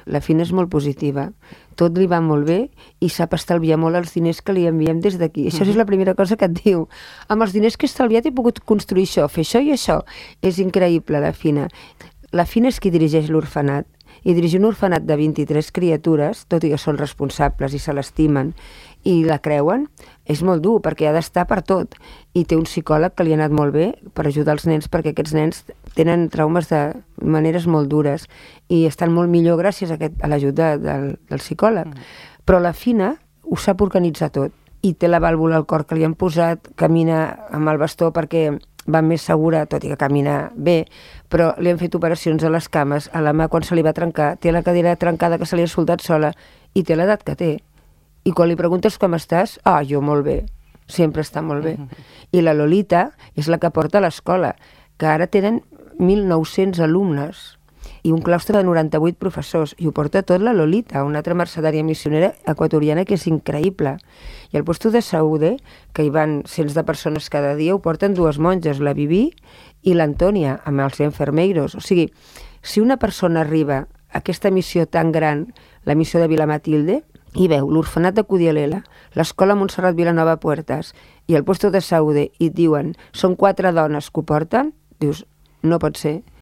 La Fina és molt positiva. Tot li va molt bé i sap estalviar molt els diners que li enviem des d'aquí. Això és la primera cosa que et diu. Amb els diners que he estalviat he pogut construir això, fer això i això. És increïble, la Fina. La Fina és qui dirigeix l'orfenat. I dirigir un orfenat de 23 criatures, tot i que són responsables i se l'estimen i la creuen, és molt dur perquè ha d'estar per tot. I té un psicòleg que li ha anat molt bé per ajudar els nens, perquè aquests nens tenen traumes de maneres molt dures i estan molt millor gràcies a l'ajuda del psicòleg. Però la Fina ho sap organitzar tot i té la vàlvula al cor que li han posat, camina amb el bastó perquè va més segura, tot i que camina bé, però li han fet operacions a les cames, a la mà quan se li va trencar, té la cadira trencada que se li ha soldat sola i té l'edat que té. I quan li preguntes com estàs, jo molt bé, sempre està molt bé. I la Lolita és la que porta a l'escola, que ara tenen 1.900 alumnes i un claustre de 98 professors, i ho porta tot la Lolita, una altra mercedària missionera equatoriana que és increïble. I al puesto de Saúde, que hi van cents de persones cada dia, ho porten dues monges, la Viví i l'Antònia, amb els enfermeiros. O sigui, si una persona arriba a aquesta missió tan gran, la missió de Vila Matilde, i veu l'orfenat de Cudielela, l'escola Montserrat Vilanova Puertas i el puesto de Saúde, i et diuen, són 4 dones que ho porten, dius, no pot ser.